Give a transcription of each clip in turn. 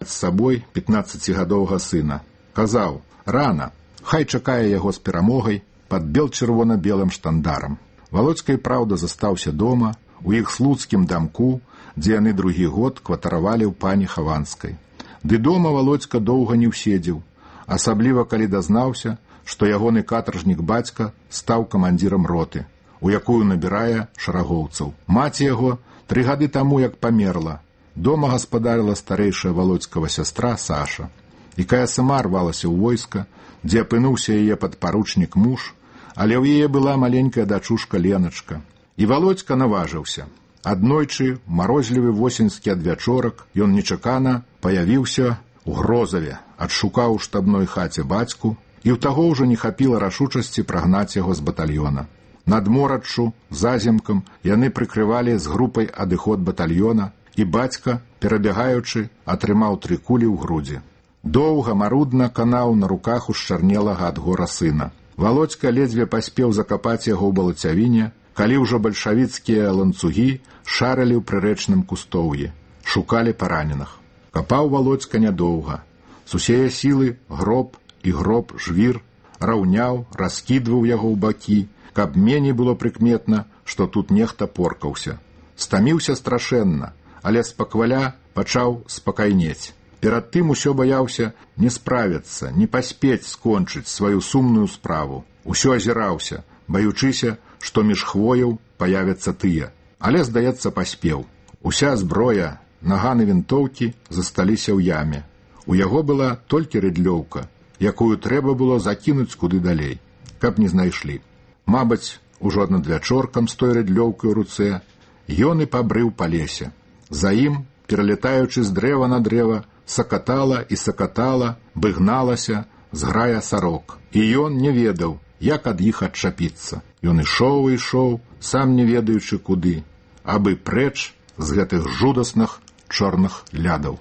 з сабой 15гадовага сына. Казаў: рана, хай чакае яго з перамогай пад бел-чырвона-белым штандарам. Валодзька і праўда застаўся дома, у іх слуцкім дамку, дзе яны другі год кватаравалі ў пані Хаванскай. Ды дома Валодзька доўга не ўседзеў, асабліва калі дазнаўся, што ягоны катаржнік бацька стаў камандзірам роты, у якую набірае шарагоўцаў. Маці яго 3 гады таму як памерла. Дома гаспадарыла старэйшая Валодзькава сястра Саша. І кая сама рвалася ў войска, дзе апынуўся яе падпаручнік муж, але ў яе была маленькая дачушка Леначка. І Валодзька наважыўся. Аднойчы, марозлівы восеньскі адвячорак, ён нечакана паявіўся ў Грозаве, адшукаў у штабной хаце бацьку, і ў таго ўжо не хапіла рашучасці прагнаць яго з батальёна. Над мораччу, заземкам, яны прыкрывалі з групай адыход батальёна, і бацька, перабягаючы, атрымаў 3 кулі ў грудзі. Доўга, марудна канаў на руках у шчарнелага ад гора сына. Валодзька ледзьве паспеў закапаць яго ў балацявіне, калі ўжо бальшавіцкія ланцугі шарылі ў прырэчным кустоўі, шукалі параненых. Капаў Валодзька нядоўга. З усее сілы гроб і гроб жвір раўняў, раскідваў яго ў бакі, каб меней было прыкметна, што тут нехта поркаўся. Стаміўся страшэнна, але спакваля пачаў спакайнець. Перад тым усё баяўся не справіцца, не паспець скончыць сваю сумную справу. Усё азіраўся, баючыся, што між хвояў паявяцца тыя. Але, здаецца, паспеў. Уся зброя, наганы вінтоўкі засталіся ў яме. У яго была толькі рыдлёўка, якую трэба было закінуць куды далей, каб не знайшлі. Мабыць, ужо надвячоркам з той рыдлёўкай у руцэ ён і пабрыў па лесе. За ім, пералетаючы з дрэва на дрэва, сакатала і сакатала, быгналася зграя сарок. І ён не ведаў, як ад іх адчапіцца. Ён ішоў і ішоў, сам не ведаючы куды, абы прэч з гэтых жудасных чорных лядаў.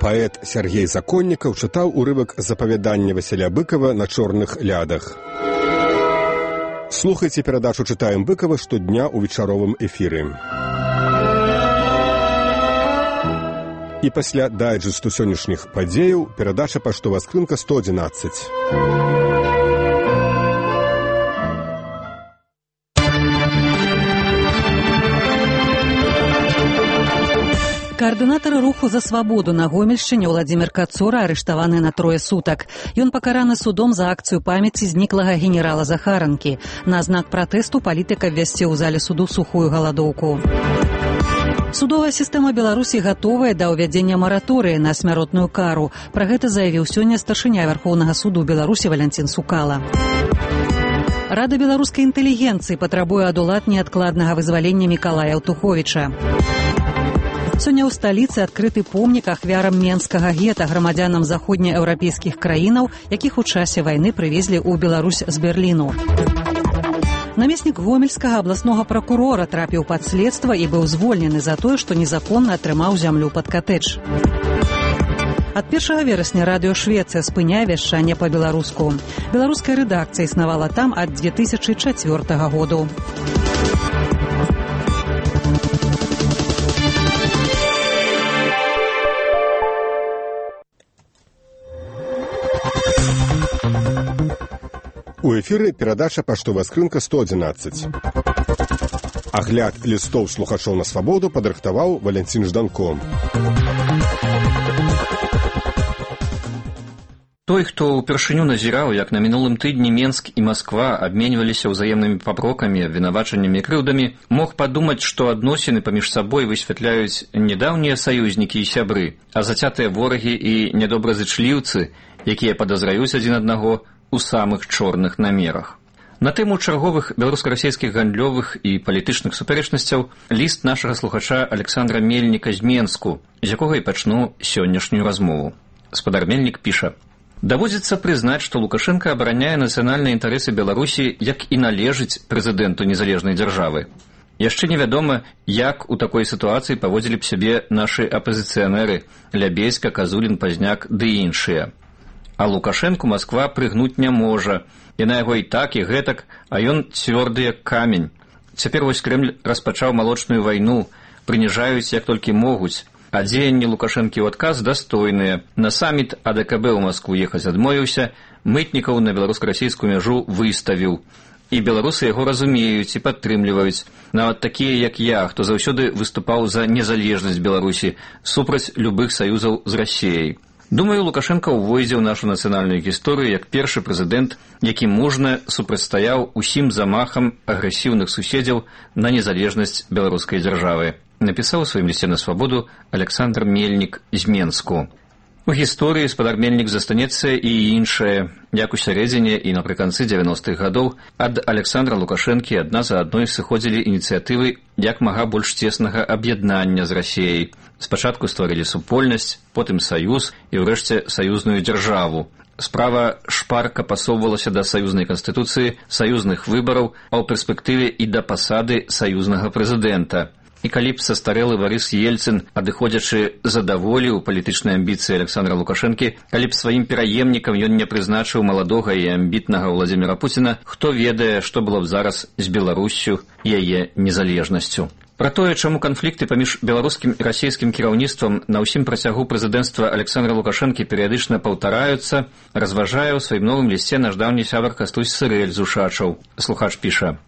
Паэт Сергей Законнікаў чытаў урывак запавядання Васіля Быкава на чорных лядах. Слухайце перадачу «Чытаем Быкава» штодня ў вечаровым эфіры. І пасля дайджэсту сённяшніх падзеяў перадача «Паштовая скрынка 111». Каардынатар руху за свабоду на Гомельшчыне Владзімір Кацура арыштаваны на 3 сутак. Ён пакараны судом за акцыю памяці зніклага генерала Захаранкі. На знак пратэсту палітыка ввесці ў зале суду сухую галадоўку. Судовая сістэма Беларусі гатовая да ўвядзення мараторыі на смяротную кару. Пра гэта заявіў сёння старшыня Вярхоўнага суду Беларусі Валянцін Сукала. Рада беларускай інтэлігенцыі патрабуе ад улад неадкладнага вызвалення Мікалая Аўтуховіча. Сёння ў сталіцы адкрыты помнік ахвярам менскага гета, грамадзянам заходнееўрапейскіх краінаў, якіх у часе вайны прывезлі ў Беларусь з Берліну. Намеснік гомельскага абласнога пракурора трапіў пад следства і быў звольнены за тое, што незаконна атрымаў зямлю пад катэдж. Ад 1 верасня радыё Швецыя спыняе вяшчанне па-беларуску. Беларуская рэдакцыя існавала там ад 2004 году. У эфіры перадача «Паштовая скрынка 111». Агляд лістоў слухачоў на свабоду падрыхтаваў Валянцін Жданко. Той, хто ўпершыню назіраў, як на мінулым тыдні Менск і Масква абменьваліся ўзаемнымі папрокамі, абвінавачаннямі і крыўдамі, мог падумаць, што адносіны паміж сабой высвятляюць не даўнія саюзнікі і сябры, а зацятыя ворагі і нядобразычліўцы, якія падазраюць адзін аднаго у самых чорных намерах. На тэму чарговых беларуска-расійскіх гандлёвых і палітычных супярэчнасцяў ліст нашага слухача Александра Мельніка з Менску, з якога і пачну сённяшнюю размову. Спадар Мельнік піша: «Даводзіцца прызнаць, што Лукашенко абараняе нацыянальныя інтарэсы Беларусі, як і належыць прэзідэнту незалежнай дзяржавы. Яшчэ невядома, як у такой сітуацыі паводзілі б сябе нашы апазіцыянеры Лябейска, Казулін, Пазняк ды іншыя. А Лукашэнку Масква прыгнуць не можа. Яна яго і так, і гэтак, а ён цвёрды як камень. Цяпер вось Крэмль распачаў малочную вайну, прыніжаюць як толькі могуць. А дзеянні Лукашэнкі ў адказ дастойныя. На саміт АДКБ ў Маскву ехаць адмовіўся, мытнікаў на беларуска-расійскую мяжу выставіў. І беларусы яго разумеюць і падтрымліваюць. Нават такія, як я, хто заўсёды выступаў за незалежнасць Беларусі, супраць любых саюзаў з Расіяй. Думаю, Лукашенко увойдзе ў нашу нацыянальную гісторыю як першы прэзідэнт, які мужна супрацьстаяў усім замахам агрэсіўных суседзяў на незалежнасць беларускай дзяржавы. Напісаў у сваім лісце на свабоду Александр Мельнік з Менску. У гісторыі спадар Мельнік застанецца і іншае. Як у сярэдзіне і напрыканцы 90-х гадоў ад Александра Лукашэнкі адна за адной сыходзілі ініцыятывы як мага больш цеснага аб'яднання з Расіяй. Спачатку стварылі супольнасць, потым саюз і ўрэшце саюзную дзяржаву. Справа шпарка пасоўвалася да саюзнай канстытуцыі, саюзных выбараў, а ў перспектыве і да пасады саюзнага прэзідэнта. І калі б састарэлы Барыс Ельцын, адыходзячы задаволіў палітычныя амбіцыі Александра Лукашэнкі, калі б сваім пераемнікам ён не прызначыў маладога і амбітнага Владзіміра Пуціна, хто ведае, што было б зараз з Беларуссю і яе незалежнасцю. Пра тое, чаму канфлікты паміж беларускім і расійскім кіраўніцтвам на ўсім працягу прэзідэнцтва Александра Лукашэнкі перыядычна паўтараюцца, разважае ў сваім новым лісце наш даўні сябар Кастусь Сырэль з Ушачаў. Слухач піша: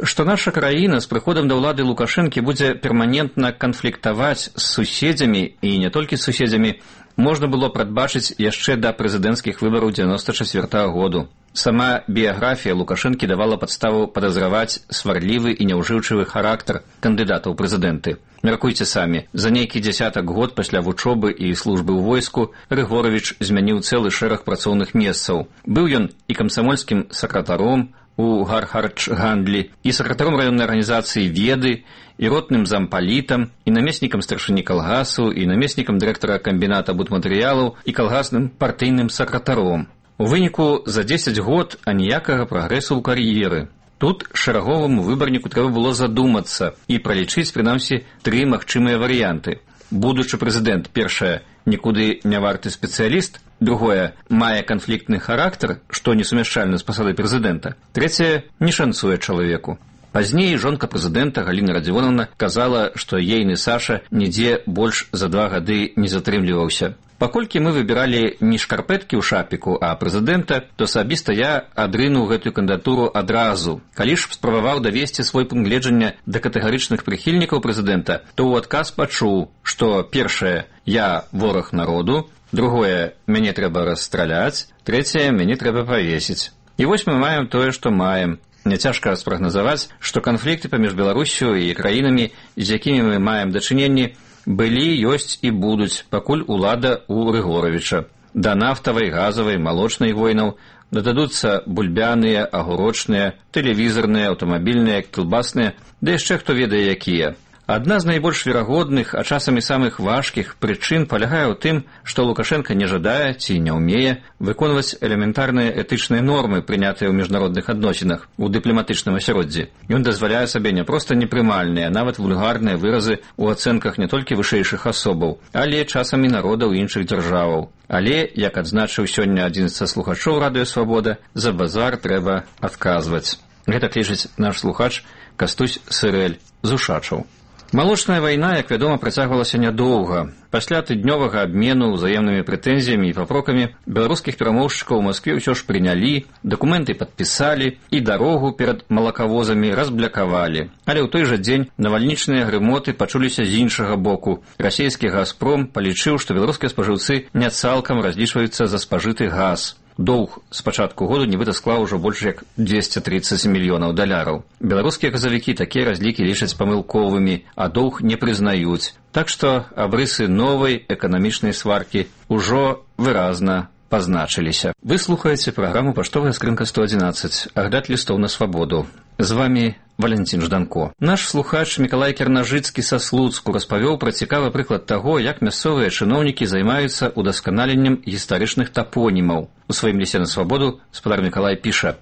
што наша краіна з прыходам да ўлады Лукашэнкі будзе перманентна канфліктаваць з суседзямі, і не толькі з суседзямі, можна было прадбачыць яшчэ да прэзідэнцкіх выбараў 94-го году. Сама біяграфія Лукашэнкі давала падставу падазраваць сварлівы і няўжыўчывы характар кандыдата ў прэзідэнты. Мяркуйце самі, за нейкі дзясятак год пасля вучобы і службы ў войску Рыгоровіч змяніў цэлы шэраг працоўных месцаў. Быў ён і камсамольскім сакратаром у Гархардж-гандлі, і сакратаром раённай арганізацыі «Веды», і ротным зампалітам, і намеснікам старшыні калгасу, і намеснікам дырэктара камбіната будматэрыялаў, і калгасным партыйным сакратаром. У выніку за 10 год аніякага прагрэсу ў кар'еры. Тут шэраговаму выбарніку трэба было задумацца і пралічыць, прынамсі, 3 магчымыя варыянты. Будучы прэзідэнт, першае, нікуды не варты спецыяліст, другое, мае канфліктны характар, што несумяшчальна з пасадай прэзідэнта, трэцяе, не шанцуе чалавеку. Пазней жонка прэзідэнта Галіна Радзівоновна казала, што ейны Саша нідзе больш за 2 гады не затрымліваўся. Паколькі мы выбіралі не шкарпэткі ў шапіку, а прэзідэнта, то асабіста я адрынуў гэтую кандыдатуру адразу. Калі ж спрабаваў давесці свой пункт гледжання да катэгарычных прыхільнікаў прэзідэнта, то ў адказ пачуў, што першае, я вораг народу, другое, мяне трэба расстраляць, трэцяе, мяне трэба павесіць. І вось мы маем тое, што маем. Няцяжка спрагназаваць, што канфлікты паміж Беларуссю і краінамі, з якімі мы маем дачыненні, былі, ёсць і будуць, пакуль улада ў Рыгоровіча. Да нафтавай, газавай, малочнай войнаў дададуцца бульбяныя, агурочныя, тэлевізарныя, аўтамабільныя, кілбасныя, ды яшчэ хто ведае якія. Адна з найбольш верагодных, а часам і самых важкіх прычын палягае ў тым, што Лукашенко не жадае ці не ўмее выконваць элементарныя этычныя нормы, прынятыя ў міжнародных адносінах у дыпламатычным асяроддзі. Ён дазваляе сабе не проста непрымальныя, нават вульгарныя выразы ў ацэнках не толькі вышэйшых асобаў, але часам і народаў іншых дзяржаваў. Але, як адзначыў сёння адзін са слухачоў радыё «Свабода», за базар трэба адказваць. Гэтак лічыць наш слухач Кастусь Сырэль з Ушачаў. Малочная вайна, як вядома, працягвалася нядоўга. Пасля тыднёвага абмену ўзаемнымі прэтэнзіямі і папрокамі беларускіх перамоўшчыкаў у Маскве ўсё ж прынялі, дакументы падпісалі і дарогу перад малакавозамі разблякавалі. Але ў той жа дзень навальнічныя грымоты пачуліся з іншага боку. Расійскі газпром палічыў, што беларускія спажыўцы не цалкам разлічваюцца за спажыты газ. Доўг з пачатку году нібыта склаў ужо больш як $230 мільёнаў. Беларускія газавікі такія разлікі лічаць памылковымі, а доўг не прызнаюць. Так што абрысы новай эканамічнай сваркі ўжо выразна пазначыліся. Вы слухаеце праграму «Паштовая скрынка 111», агляд лістоў на свабоду. З вамі Валянцін Жданко. Наш слухач Мікалай Кернажыцкі са Слуцку распавёў пра цікавы прыклад таго, як мясцовыя чыноўнікі займаюцца удасканаленнем гістарычных тапонімаў. У сваім лісце на свабоду спадар Мікалай піша: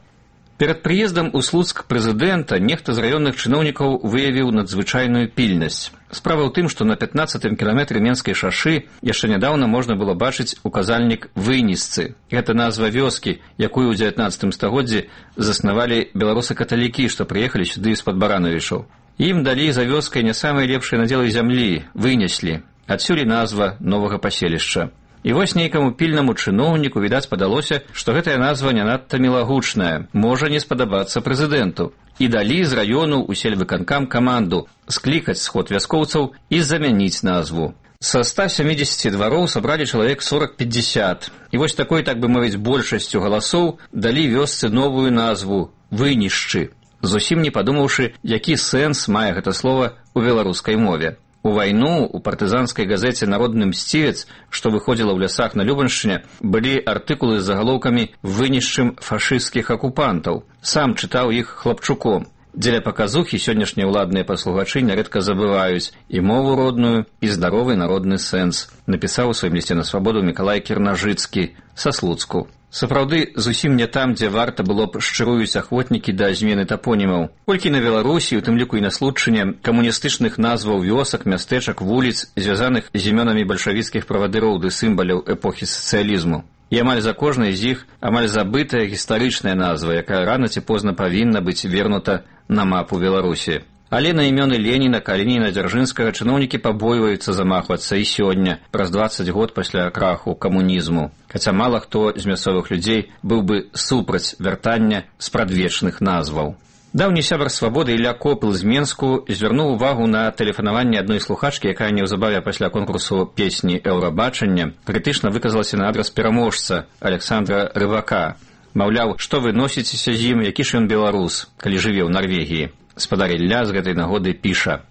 перад прыездам у Слуцк прэзідэнта нехта з раённых чыноўнікаў выявіў надзвычайную пільнасць. Справа ў тым, што на 15-м кіламетры Менскай шашы яшчэ нядаўна можна было бачыць указальнік Вынісцы. Гэта назва вёскі, якую ў 19 стагоддзі заснавалі беларусы-каталікі, што прыехалі сюды з-пад Баранавічаў. Ім далі за вёскай не самыя лепшыя надзелы зямлі, вынеслі. Адсюль і назва новага паселішча. І вось нейкаму пільнаму чыноўніку, відаць, падалося, што гэтая назва не надта мілагучная, можа не спадабацца прэзідэнту. І далі з раёну ў сельвыканкам каманду склікаць сход вяскоўцаў і замяніць назву. Са 170 двароў сабралі чалавек 40-50. І вось такой, так бы мовіць, большасцю галасоў далі вёсцы новую назву «Вынішчы», зусім не падумаўшы, які сэнс мае гэта слова ў беларускай мове. У вайну у партызанскай газеце «Народны мсцівец», што выходзіла ў лясах на Любаншчыне, былі артыкулы з загалоўкамі «Вынішчым фашысцкіх акупантаў». Сам чытаў іх хлапчуком. Дзеля паказухі сённяшнія ўладныя паслугачы нярэдка забываюць і мову родную, і здаровы народны сэнс, напісаў у сваім лісце на свабоду Мікалай Кірнажыцкі са Слуцку. Сапраўды, зусім не там, дзе варта было б шчыруюць ахвотнікі да змены тапонімаў. Колькі на Беларусі, у тым ліку і на Случчыне, камуністычных назваў вёсак, мястэчак, вуліц, звязаных з імёнамі бальшавіцкіх правадыроў ды сімваляў эпохі сацыялізму. І амаль за кожнай з іх амаль забытая гістарычная назва, якая рана ці позна павінна быць вернута на мапу Беларусі. Але на імёны Леніна, Калініна, Дзяржынскага чыноўнікі пабойваюцца замахвацца і сёння, праз 20 год пасля краху камунізму. Хаця мала хто з мясцовых людзей быў бы супраць вяртання спрадвечных назваў. Даўні сябар свабоды Ілля Копыл з Менску звярнуў увагу на тэлефанаванне адной слухачкі, якая неўзабаве пасля конкурсу песні «Еўрабачання» крытычна выказалася на адрас пераможца Александра Рыбака. Маўляў, што вы носіцеся з ім, які ж ён беларус, калі жыве ў Нарвегіі. Спадар Ілля з гэтай нагоды піша: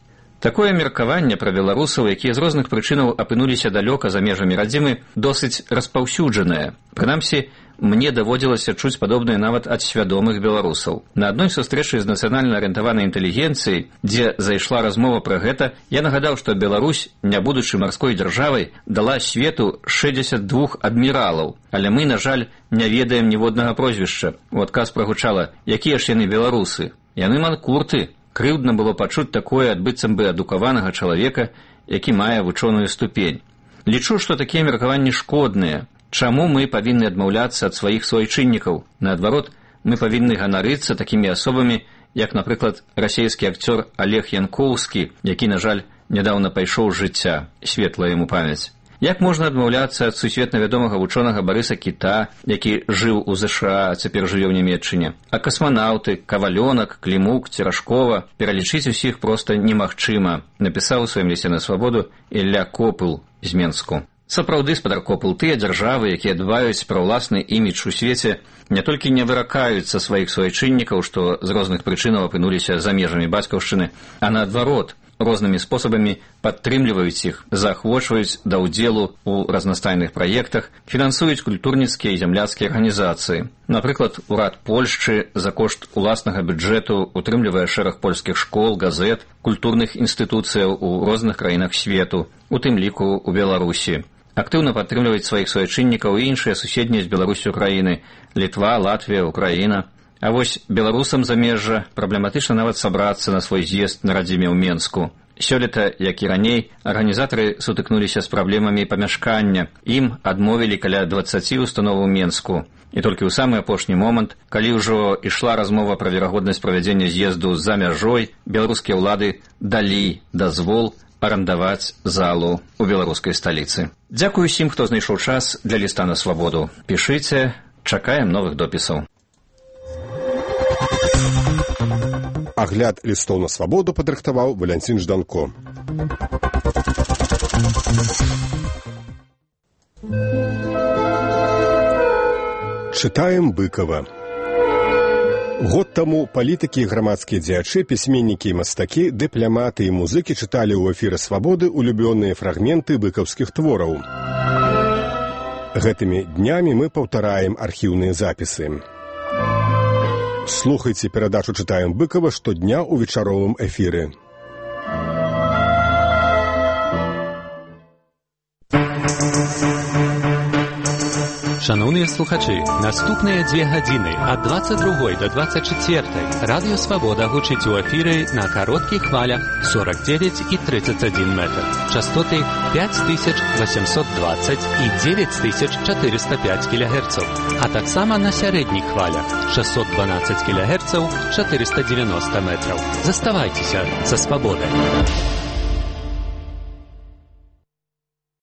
«Такое меркаванне пра беларусаў, якія з розных прычынаў апынуліся далёка за межамі радзімы, досыць распаўсюджанае. Прынамсі, мне даводзілася чуць падобнае нават ад свядомых беларусаў. На адной сустрэчы з нацыянальна арыентаванай інтэлігенцыяй, дзе зайшла размова пра гэта, я нагадаў, што Беларусь, не будучы марской дзяржавай, дала свету 62 адміралаў, але мы, на жаль, не ведаем ніводнага прозвішча. У адказ прагучала: якія ж яны беларусы? Яны манкурты». Крыўдна было пачуць такое ад быццам бы адукаванага чалавека, які мае вучоную ступень. Лічу, што такія меркаванні шкодныя. Чаму мы павінны адмаўляцца ад сваіх суайчыннікаў? Наадварот, мы павінны ганарыцца такімі асобамі, як, напрыклад, расейскі акцёр Олег Янкоўскі, які, на жаль, нядаўна пайшоў з жыцця, светлая яму памяць. Як можна адмаўляцца ад сусветна вядомага вучонага Барыса Кіта, які жыў у ЗША, а цяпер жыве ў Нямецчыне? А касманаўты, Кавалёнак, Клімук, Церашкова пералічыць усіх проста немагчыма, напісаў у сваім лісце на свабоду Ілля Копыл з Менску. Сапраўды, спадар Копыл, тыя дзяржавы, якія дбаюць пра ўласны імідж у свеце, не толькі не выракаюцца сваіх суайчыннікаў, што з розных прычынаў апынуліся за межамі бацькаўшчыны, а наадварот, рознымі спосабамі падтрымліваюць іх, заахвочваюць да ўдзелу ў разнастайных праектах, фінансуюць культурніцкія і зямляцкія арганізацыі. Напрыклад, урад Польшчы за кошт уласнага бюджэту утрымлівае шэраг польскіх школ, газет, культурных інстытуцыяў у розных краінах свету, у тым ліку ў Беларусі. Актыўна падтрымліваюць сваіх суайчыннікаў і іншыя суседнія з Беларусю краіны – Літва, Латвія, Украіна. А вось беларусам замежжа праблематычна нават сабрацца на свой з'езд на радзіме ў Менску. Сёлета, як і раней, арганізатары сутыкнуліся з праблемамі памяшкання. Ім адмовілі каля 20 установ у Менску. І толькі ў самы апошні момант, калі ўжо ішла размова пра верагоднасць правядзення з'езду за мяжой, беларускія ўлады далі дазвол арандаваць залу ў беларускай сталіцы. Дзякую усім, хто знайшоў час для ліста на свабоду. Пішыце, чакаем новых допісаў. Агляд лістоў на свабоду падрыхтаваў Валянцін Жданко. Чытаем Быкова. Год таму палітыкі і грамадскія дзеячы, пісьменнікі і мастакі, дыпляматы і музыкі чыталі ў эфіры свабоды улюбёныя фрагменты быкаўскіх твораў. Гэтымі днямі мы паўтараем архіўныя запісы. Слухайце перадачу «Чытаем Быкова» штодня ў вечаровым эфіры. Шановныя слухачы, наступныя 2 гадзіны ад 22 до 24 радыё Свабода гучыць у эфіры на кароткіх хвалях 49 і 31 метр. Частоты 5820 і 9405 кГц, а таксама на сярэдніх хвалях 612 кГц 490 метраў. Заставайцеся са Свабодай.